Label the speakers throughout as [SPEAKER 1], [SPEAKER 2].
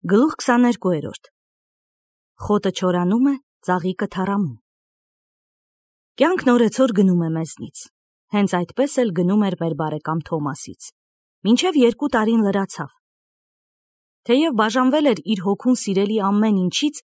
[SPEAKER 1] Գլուխ 22-րդ Խոտը չորանում է, ծաղիկը թառամում։ Կյանքն օրեցօր գնում է մեզնից, հենց այդպես էլ գնում էր մեր բարեկամ Թոմասից, մինչև 2 տարին լրացավ։ Թեև բաժանվել էր իր հոգուն սիրելի ամեն ինչից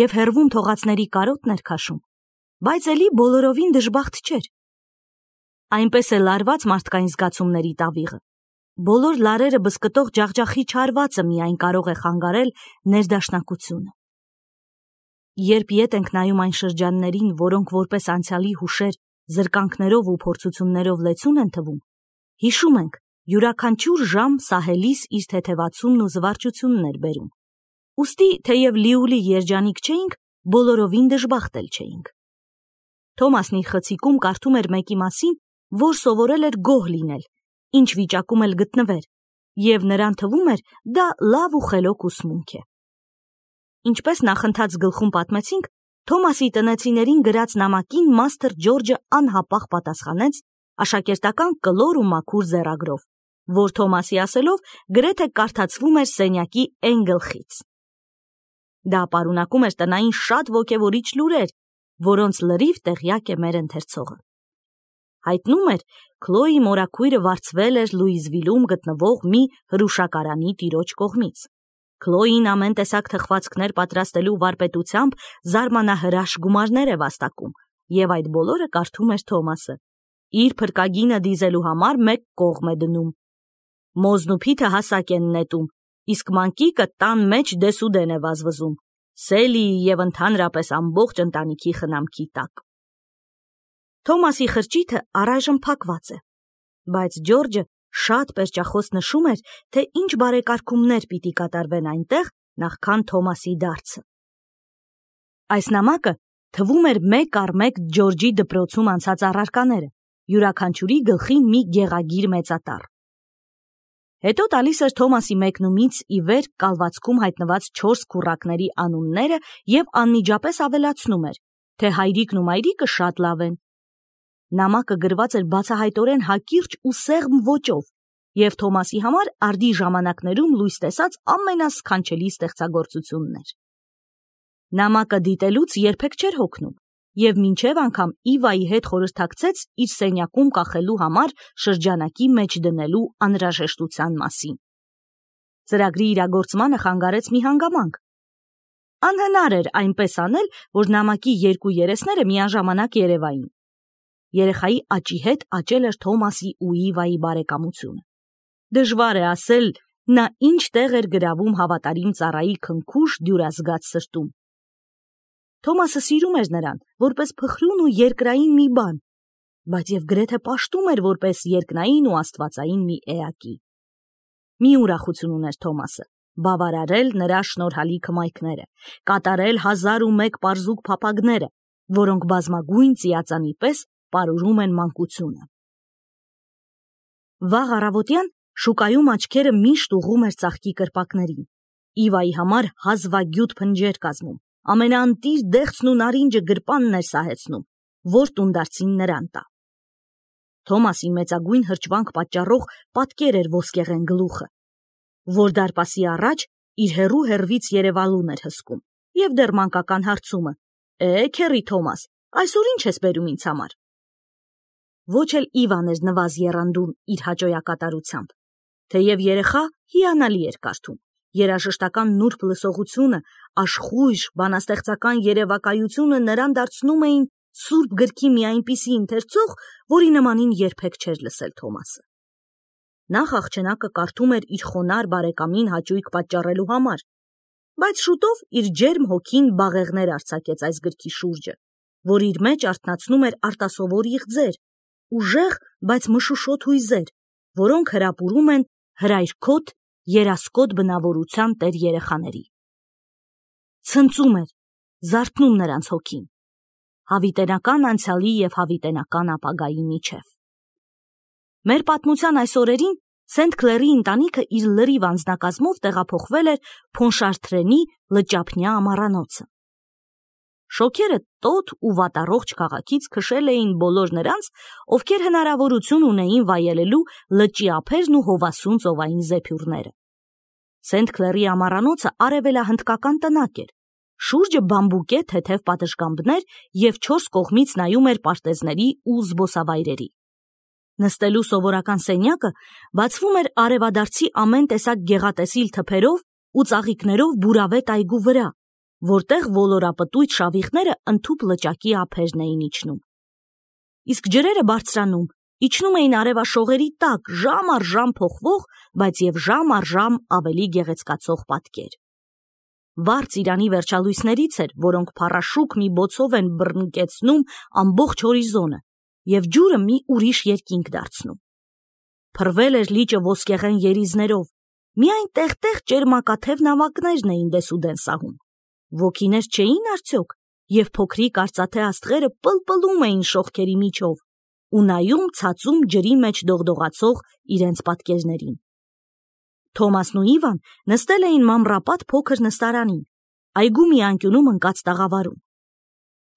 [SPEAKER 1] և հեռվում թողածների կարոտն էր քաշում, բայց էլի բոլորովին դժբախտ չէր։ Այնպես է լարված մարդկային զգացումների տավիղը։ Բոլոր լարերը բզկտող ջախջախի չարվածը միայն կարող է խանգարել ներդաշնակությունը։ Երբ ետ ենք նայում այն շրջաններին, որոնք որպես անցյալի հուշեր, զրկանքներով ու փորձություններով լեցուն են թվում, հիշում ենք, յուրաքանչյուր ժամ սահելիս իր թեթևացումն ու զվարճությունն էր բերում։ Ուստի, թեև լիուլի երջանիկ չէինք, բոլորովին դժբախտ էլ չէինք։ Թոմասն իր խցիկում կարդում էր մեկի մասին, որ սովորել էր գոհ լինել, ինչ վիճակում էլ գտնվեր, և նրան թվում էր դա լավ ու խելոք ուսմունք է։ Ինչպես նախընթաց գլխում պատմեցինք, Թոմասի տնեցիներին գրած նամակին մաստր Ջորջը անհապաղ պատասխանեց աշակերտական կլոր ու մաքուր ձեռագրով, որ Թոմասի ասելով գրեթե կարդացվում էր սենյակի էն գլխից։ Դա պարունակում էր տնային շատ ոգևորիչ լուրեր, որոնց լրիվ տեղյակ է մեր ընթերցողը։ Հայտնում էր, Քլոյի մորաքույրը վարձվել էր Լուիզվիլում գտնվող մի հրուշակարանի տիրոջ կողմից։ Քլոյին ամեն տեսակ թխվածքներ պատրաստելու վարպետությամբ զարմանահրաշ գումարներ է վաստակում, և այդ բոլորը կարդում էր Թոմասը։ Իր փրկագինը դիզելու համար մեկ կողմ է դնում։ Մոզն ու փիթը հասակ են նետում, իսկ մանկիկը տան մեջ դեսուդեն է վազվզում, Սելիի և ընդհանրապես ամբողջ ընտանիքի խնամքի տակ։ Թոմասի խրճիթը առայժմ փակված է, բայց Ջորջը շատ պերճախոս նշում էր, թե ինչ բարեկարգումներ պիտի կատարվեն այնտեղ, նախքան Թոմասի դարձը։ Այս նամակը թվում էր մեկ առ մեկ Ջորջի դպրոցում անցած առարկաները, յուրաքանչյուրի գլխին մի գեղագիր մեծատառ։ Հետո տալիս էր Թոմասի մեկնումից ի վեր կալվածքում հայտնված 4 քուռակների անունները և անմիջապես ավելացնում էր, թե հայրիկն ու մայրիկը շատ լավ են։ Նամակը գրված էր բացահայտորեն հակիրճ ու սեղմ ոճով, և Թոմասի համար արդի ժամանակներում լույս տեսած ամենասքանչելի ստեղծագործությունն էր։ Նամակը դիտելուց երբեք չէր հոգնում, և մինչև անգամ Իվայի հետ խորհրդակցեց իր սենյակում կախելու համար շրջանակի մեջ դնելու անհրաժեշտության մասին։ Ծրագրի իրագործմանը խանգարեց մի հանգամանք։ Անհնար էր այնպես անել, որ նամակի 2 երեսները միաժամանակ երևային։ Երեխայի աճի հետ աճել էր Թոմասի ու Իվայի բարեկամությունը։ Դժվար է ասել, նա ինչ տեղ էր գրավում հավատարիմ ծառայի քնքուշ դյուրազգաց սրտում։ Թոմասը սիրում էր նրան, որպես փխրուն ու երկրային մի բան, բայց և գրեթե պաշտում էր որպես երկնային ու աստվածային մի էակի։ Մի ուրախություն ուներ Թոմասը՝ բավարարել նրա շնորհալի քմայքները, կատարել 1001 պարզուկ փափագները, որոնք բազմագույն ծիածանի պես պարուրում են մանկությունը։ Վաղ առավոտյան շուկայում աչքերը միշտ ուղղում էր ծաղկի կրպակներին։ Իվայի համար հազվագյուտ փնջեր կազմում, ամենաընտիր դեղցն ու նարինջը գրպանն էր սահեցնում, որ տունդարձին նրան տա։ Թոմասին մեծագույն հրճվանք պատճառող պատկեր էր ոսկեղեն գլուխը, որ դարպասի առաջ իր հեռու հեռվից երևալուն էր հսկում, և դեռ մանկական հարցումը. քեռի Թոմաս, այսօր ինչ ես բերում ինձ համար։ Ոչ էլ Իվան էր նվազ եռանդուն իր հաճոյակատարությամբ, թեև երեխա հիանալի էր կարդում, երաժշտական նուրբ լսողությունը, աշխույժ բանաստեղծական երևակայությունը նրան դարձնում էին սուրբ գրքի մի այնպիսի ընթերցող, որի նմանին երբեք չէր լսել Թոմասը։ Նախ աղջնակը կարդում էր իր խոնար բարեկամին հաճույք պատճառելու համար, բայց շուտով իր ջերմ հոգին բաղեղներ արձակեց այս գրքի շուրջը, որ իր մեջ արթնացնում էր արտասովոր իղձեր, ուժեղ, բայց մշուշոտ հույզեր, որոնք հրապուրում են հրայրքոտ, երասկոտ բնավորության տեր երեխաների։ Ցնծում էր, զարթնում նրանց հոգին, հավիտենական անցյալի և հավիտենական ապագայի միջև։ Մեր պատմության այս օրերին Սենթ Քլերի ընտանիքը իր լրիվ անձնակազմով տեղափոխվել էր Փոնշարտրենի լճափնյա ամառանոցը։ Շոգերը տոտ ու վատառողջ քաղաքից քշել էին բոլոր նրանց, ովքեր հնարավորություն ունեին վայելելու լճի ափերն ու հովասուն ծովային զեփյուռները։ Սենթ Քլերի ամառանոցը արևելահնդկական տնակ էր, շուրջը բամբուկե թեթև պատշգամբներ և 4 կողմից նայում էր պարտեզների ու զբոսավայրերի։ Նստելու սովորական սենյակը բացվում էր արևադարձի ամեն տեսակ գեղատեսիլ թփերով ու ծաղիկներով բուրավետ այգու վրա, որտեղ ոլորապտույտ շավիղները ընդհուպ լճակի ափերն էին իջնում։ Իսկ ջրերը բարձրանում, իջնում էին արևաշողերի տակ ժամ առ ժամ փոխվող, բայց և ժամ առ ժամ ավելի գեղեցկացող պատկեր։ Վառ ծիրանի վերջալույսներից էր, որոնք փառաշուկ մի բոցով են բռնկեցնում ամբողջ հորիզոնը և ջուրը մի ուրիշ երկինք դարձնում։ Փռվել էր լիճը ոսկեղեն երիզներով, միայն տեղ-տեղ ճերմակաթև նավակներն էին դեսուդեն սահում։ Ոգիներ չէին արդյոք, և փոքրիկ արծաթե աստղերը պլպլում էին շողքերի միջով ու նայում ցածում ջրի մեջ դողդողացող իրենց պատկերներին։ Թոմասն ու Իվան նստել էին մանրապատ փոքր նստարանին, այգու մի անկյունում ընկած տաղավարում։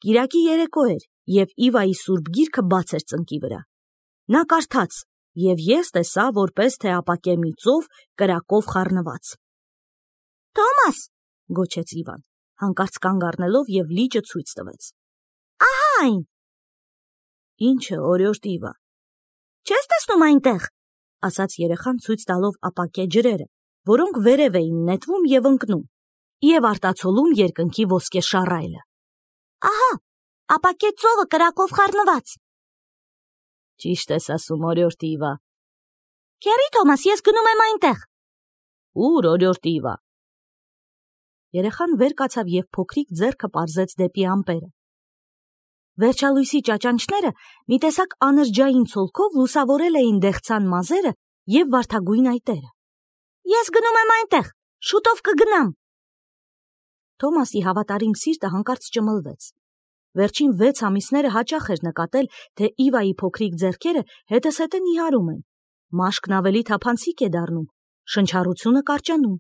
[SPEAKER 1] Կիրակի երեկո էր, և Իվայի սուրբ գիրքը բաց էր ծնկի վրա։ Նա կարդաց, և ես տեսա, որպես թե ապակե մի ծով կրակով խառնված։ «Թոմաս», գոչեց Իվան, հանկարծ կանգ առնելով և լիճը ցույց տվեց։ «Ահա այն»։ «Ի՞նչը, օրիորդ Իվա»։ «Չես տեսնում այնտեղ», ասաց երեխան ցույց տալով ապակե ջրերը, որոնք վերև էին նետվում և ընկնում, և արտացոլում երկնքի ոսկե շառայլը։ «Ահա, ապակե ծովը կրակով խառնված»։ «Ճիշտ ես ասում, օրիորդ Իվա»։ «Քեռի Թոմաս, ես գնում եմ այնտեղ»։ «Ուր, օրիորդ Իվա»։ Երեխան վեր կացավ և փոքրիկ ձեռքը պարզեց դեպի ամպերը։ Վերջալույսի ճաճանճները մի տեսակ անրջային ցոլքով լուսավորել էին դեղցան մազերը և վարդագույն այտերը։ «Ես գնում եմ այնտեղ, շուտով կգնամ»։ Թոմասի հավատարիմ սիրտը հանկարծ ճմլվեց։ Վերջին 6 ամիսները հաճախ էր նկատել, թե Իվայի փոքրիկ ձեռքերը հետզհետե նիհարում են, մաշկն ավելի թափանցիկ է դառնում, շնչառությունը կարճանում։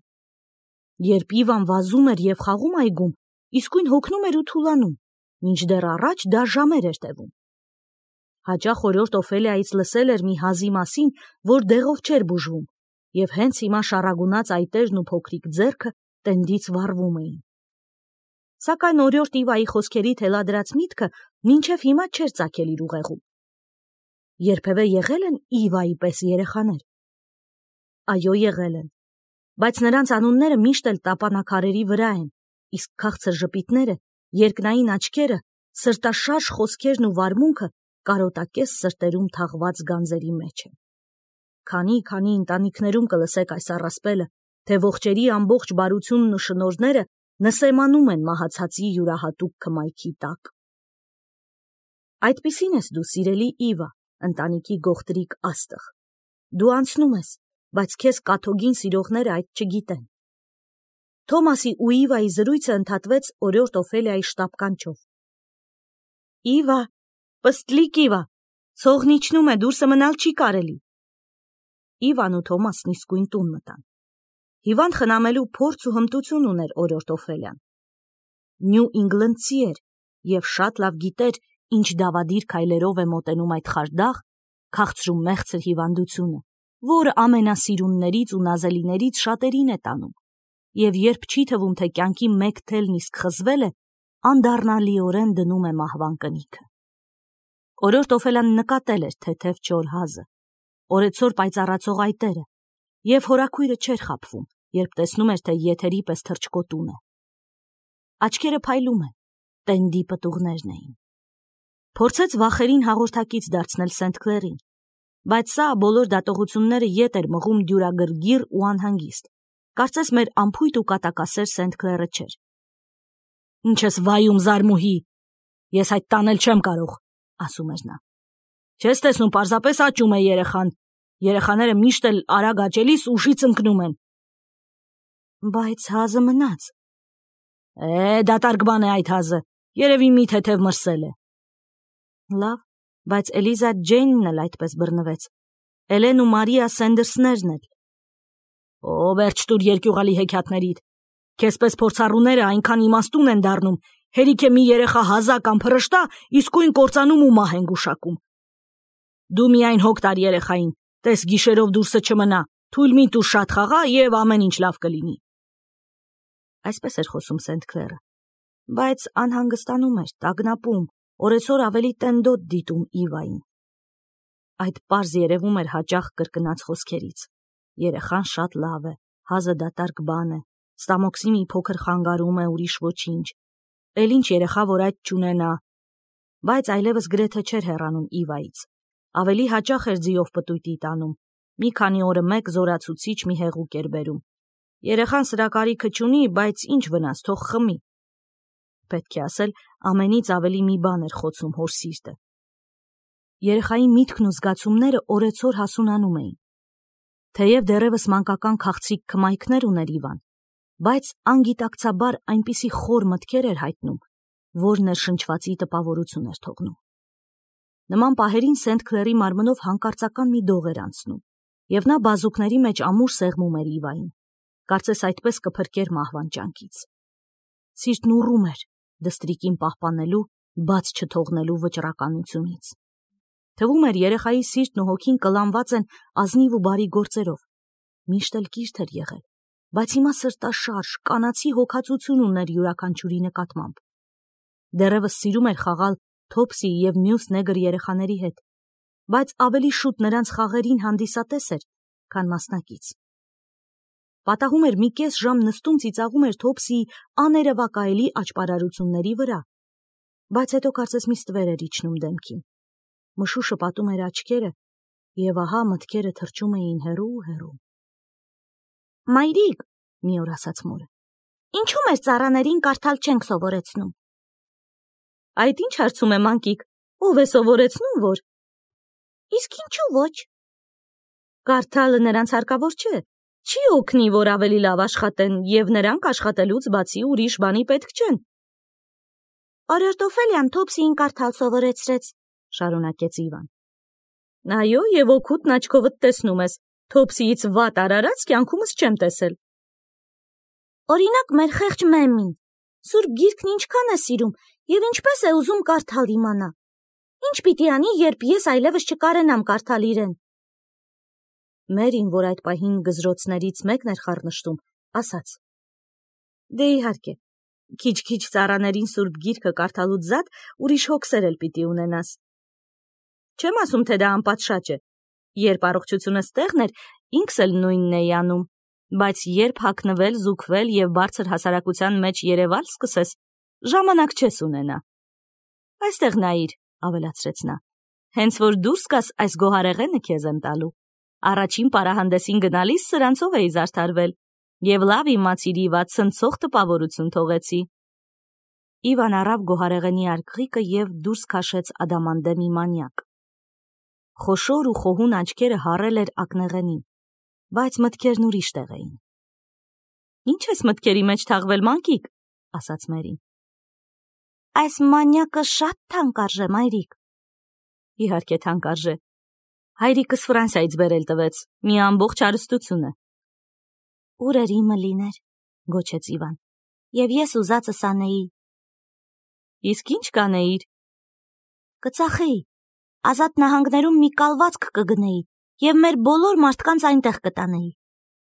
[SPEAKER 1] Երբ Իվան վազում էր և խաղում այգում, իսկույն հոգնում էր ու թուլանում, մինչդեռ առաջ դա ժամեր էր տևում։ Հաճախ օրիորդ Օֆելիայից լսել էր մի հազի մասին, որ դեղով չէր բուժվում, և հենց հիմա շառագունած այտերն ու փոքրիկ ձեռքը տենդից վառվում էին։ Սակայն օրիորդ Իվայի խոսքերի թելադրած միտքը մինչև հիմա չէր ծագել իր ուղեղում։ Երբևէ եղել են Իվայի պես երեխաներ։ Այո, եղել են, բայց նրանց անունները միշտ էլ տապանաքարերի վրա են, իսկ քաղցր ժպիտները, երկնային աչքերը, սրտաշարժ խոսքերն ու վարմունքը կարոտակես սրտերում թաղված գանձերի մեջ են։ Քանի ընտանիքներում կլսեք այս առասպելը, թե ողջերի ամբողջ բարությունն ու շնորհները նսեմանում են մահացածի յուրահատուկ քմայքի տակ։ Այդպիսին ես դու, սիրելի Իվա, ընտանիքի գողտրիկ աստղ։ Դու անցնում ես, բայց քեզ կաթոգին սիրողները այդ չգիտեն։ Թոմասի ու Իվայի զրույցը ընդհատվեց օրիորդ Օֆելիայի շտապ կանչով։ «Իվա, պստլիկ Իվա, ցողն իջնում է, դուրսը մնալ չի կարելի»։ Իվան ու Թոմասն իսկույն տուն մտան։ Հիվանդ խնամելու փորձ ու հմտություն ուներ օրիորդ Օֆելիան։ Նյու Ինգլնդցի էր և շատ լավ գիտեր, ինչ դավադիր քայլերով է մոտենում այդ խարդախ, քաղցր ու մեղցր հիվանդությունը, որը ամենասիրուններից ու նազելիներից շատերին է տանում, և երբ չի թվում, թե կյանքի մեկ թելն իսկ խզվել է, անդառնալիորեն դնում է մահվան կնիքը։ Օրիորդ Օֆելիան նկատել էր թեթև չոր հազը, օրեցօր պայծառացող այտերը, և հորաքույրը չէր խաբվում, երբ տեսնում էր, թե եթերի պես թռչկոտուն է։ Աչքերը փայլում են, տենդի պտուղներն էին։ Փորձեց վախերին հաղորդակից դարձնել Սենթ Քլերին, բայց սա բոլոր դատողությունները ետ էր մղում դյուրագրգիռ ու անհանգիստ, կարծես մեր անփույթ ու կատակասեր Սենթ Քլերը չէր։ «Ինչ ես վայում, զարմուհի, ես այդ տանել չեմ կարող», ասում էր նա։ «Չես տեսնում, պարզապես աճում է երեխան, երեխաները միշտ էլ արագ աճելիս ուշից ընկնում են»։ «Բայց հազը մնաց»։ Դատարկ բան է այդ հազը, երևի մի թեթև մրսել է։ Լավ, բայց Էլիզա Ջեյնն էլ այդպես բռնվեց, Էլեն ու Մարիա Սենդերսներն էլ։ Վերջ տուր երկյուղալի հեքիաթներիդ, քեզպես փորձառուները այնքան իմաստուն են դառնում, հերիք է մի երեխա հազա կամ փռշտա, իսկույն կործանում ու մահ են գուշակում։ Դու միայն հոգ տար երեխային, տես գիշերով դուրսը չմնա, Թույլ մի տուր շատ խաղա եւ ամեն ինչ լավ կլինի։ Այսպես էր խոսում Սենթ Քլերը, բայց անհանգստանում էր, տագնապում, օրեցօր ավելի տենդոտ դիտում Իվային։ Այդ պարզ երևում էր հաճախ կրկնած խոսքերից։ Երեխան շատ լավ է, հազը դատարկ բան է, ստամոքսի մի փոքր խանգարում է, ուրիշ ոչինչ։ Էլ ինչ երեխա, որ այդ չունենա։ Բայց այլևս գրեթե չէր հեռանում Իվայից։ Ավելի հաճախ էր ձիով պտույտի տանում։ Մի քանի օրը մեկ զորացուցիչ մի հեղուկ էր բերում։ Երեխան սրա կարիքը չունի, բայց ինչ վնաս, թող խմի։ Պետք է ասել, ամենից ավելի մի բան էր խոցում հոր սիրտը։ Երեխայի միտքն ու զգացումները օրեցօր հասունանում էին։ Թեև դեռևս մանկական քաղցրիկ քմայքներ ուներ Իվան, բայց անգիտակցաբար այնպիսի խոր մտքեր էր հայտնում, որ ներշնչվածի տպավորություն էր թողնում։ Նման պահերին Սենթ Քլերի մարմնով հանկարծական մի դող էր անցնում, եւ նա բազուկների մեջ ամուր սեղմում էր Իվային, կարծես այդպես կփրկեր մահվան ճանկից։ Սիրտն ուռում էր դստրիկին պահպանելու, բաց չթողնելու վճռականությունից։ Թվում էր երեխայի սիրտն ու հոգին կլանված են ազնիվ ու բարի գործերով։ Միշտ էլ կիրթ էր եղել, բայց հիմա սրտաշարժ, կանացի հոգացություն ուներ յուրաքանչյուրի նկատմամբ։ Դեռևս սիրում էր խաղալ Թոփսի եւ մյուս նեգր երեխաների հետ, բայց ավելի շուտ նրանց խաղերին հանդիսատես էր, քան մասնակից։ Պատահում էր մի կես ժամ նստում ծիծաղում էր Թոփսիի աներևակայելի աճպարարությունների վրա, բայց հետո կարծես մի ստվեր էր իջնում դեմքին։ Մշուշը պատում էր աչքերը, եւ ահա մտքերը թռչում էին հեռու։ Մայրիկ, մի օր ասաց մորը, ինչու մեր ծառաներին կարդալ չենք սովորեցնում։ Այդ ինչ հարցում է մանկիկ, ով է սովորեցնում, որ։ Իսկ ինչու ոչ։ Կարդալը նրանց հարկավոր չէ, չի օգնի, որ ավելի լավ աշխատեն, եւ նրանք աշխատելուց բացի ուրիշ բանի պետք չեն։ Արիստոֆելյան Թոփսիին կարդալ սովորեցրեց, շարունակեց Իվան։ Այո, եւ օգուտն աչքովդ տեսնում ես, Թոփսիից վատ արարած կյանքումս չեմ տեսել։ Օրինակ մեր խեղճ Մեմին, Սուրբ Գիրքն ինչքան է սիրում եւ ինչպես է ուզում կարդալ իմանա։ Ինչ պիտի անի, երբ ես այլևս չկարենամ կարդալ իրեն։ Մերին, որ այդ պահին գզրոցներից մեկն էր խառնշտում, ասաց. Դե իհարկե, քիչ-քիչ ծառաներին Սուրբ Գիրքը կարդալուց զատ ուրիշ հոգսեր էլ պիտի ունենաս։ Չեմ ասում, թե դա անպատշաճ է։ Երբ առողջությունս տեղն էր, ինքս էլ նույնն էի անում, բայց երբ հագնվել, զուգվել եւ բարձր հասարակության մեջ երևալ սկսես, ժամանակ չես ունենա։ Այստեղ նայիր, ավելացրեց նա, հենց որ դուրս գաս այս գոհարեղենը քեզ եմ տալու։ Առաջին պարահանդեսին գնալիս սրանցով էի զարդարվել եւ լավ իմացիր իվա ցնցող տպավորություն թողեցի։ Իվան առավ գոհարեղենի արկղիկը եւ դուրս քաշեց ադամանդեմի մանյակ։ Խոշոր ու խոհուն աչքերը հառել էր ակնեղենին, բայց մտքերն ուրիշ տեղ էին։ Ինչ ես մտքերի մեջ թաղվել, մանկիկ, ասաց Մերին։ Այս մանյակը շատ թանկարժե, մայրիկ։ Իհարկե թանկարժե։ Հայրիկս Ֆրանսիայից բերել տվեց, մի ամբողջ հարստություն է։ Ուր էր իմը լիներ, գոչեց Իվան, եւ ես ուզածս անեի։ Իսկ ինչ կանեիր։ Կծախեի, Ազատ նահանգներում մի կալվածք կգնեի եւ մեր բոլոր մարդկանց այնտեղ կտանեի։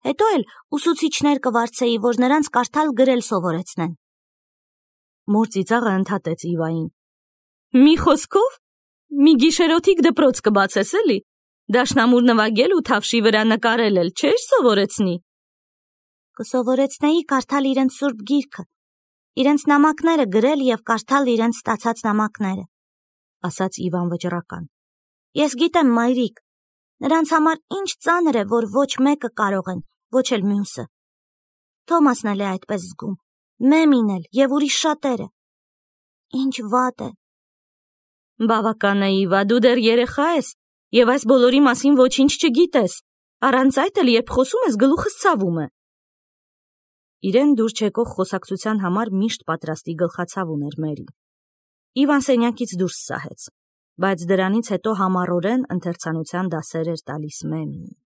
[SPEAKER 1] Հետո էլ ուսուցիչներ կվարձեի, որ նրանց կարդալ գրել սովորեցնեն։ Մոր ծիծաղը ընդհատեց Իվային։ Մի խոսքով, մի գիշերօթիկ դպրոց կբացես էլի, դաշնամուր նվագել ու թավշի վրա նկարել էլ չէր սովորեցնի։ Կսովորեցնեի կարդալ իրենց Սուրբ Գիրքը, իրենց նամակները գրել եւ կարդալ իրենց ստացած նամակները, ասաց Իվան վճռական։ Ես գիտեմ, մայրիկ, նրանց համար ինչ ծանր է, որ ոչ մեկը կարող են, ոչ էլ մյուսը։ Թոմասն էլ է այդպես զգում, Մեմին էլ եւ ուրիշ շատերը։ Ինչ վատ է։ Բավական է, Իվա, դու դեռ երեխա ես եւ այս բոլորի մասին ոչինչ չգիտես։ Առանց այդ էլ երբ խոսում ես, գլուխս ցավում է։ Իրեն դուր չեկող խոսակցության համար միշտ պատրաստի գլխացավ ուներ Մերին։ Իվան սենյակից դուրս սահեց, բայց դրանից հետո համառորեն ընթերցանության դասեր էր տալիս Մեմին։